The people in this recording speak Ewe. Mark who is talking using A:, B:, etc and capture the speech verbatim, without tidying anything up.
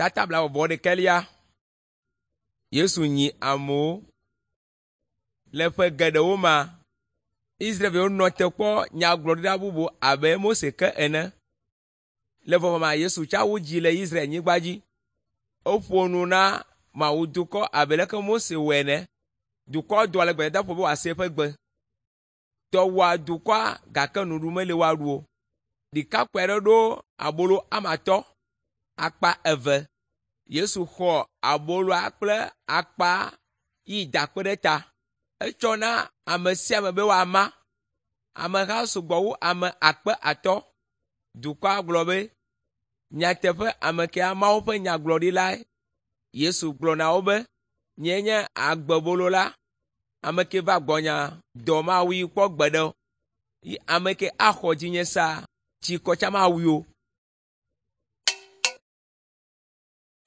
A: Tata blaeve-vɔ-ɖekɛlia. Yesu nyi amewo. Le ƒe geɖewo mea, Israelviwo nɔ te kpɔ nyagblɔɖila bubu abe Mose ke ene. Le vɔvɔmea, Yesu tsa wu dzi le Israelnyigba dzi. Eƒo nu na Mawudukɔ abe leke Mose wɔe ene. Dukɔ doa le gbedadaƒo be wòase eƒe gbe. Dɔ wɔa dukɔa gake nuɖuɖu meli woaɖu o. Ɖekakpui aɖe ɖo abolo ame atɔ̃, akpa eve. Yesu xɔ aboloa kple akpa yi da kpe ɖe ta. Etsɔ na ame sia ame be woama. Ameha sugbɔ wu ame akpe atɔ̃. Dukɔa gblɔ be, “Nyateƒe ame kea Mawu ƒe nyagblɔɖilae.” Yesu gblɔ na wo be, “Nyee nye agbebolo la. Ame ke va gbɔnyea, dɔ mawui kpɔ gbeɖe o. Yi ame ke axɔ dzinye sea, tsikɔ tsã mawui o.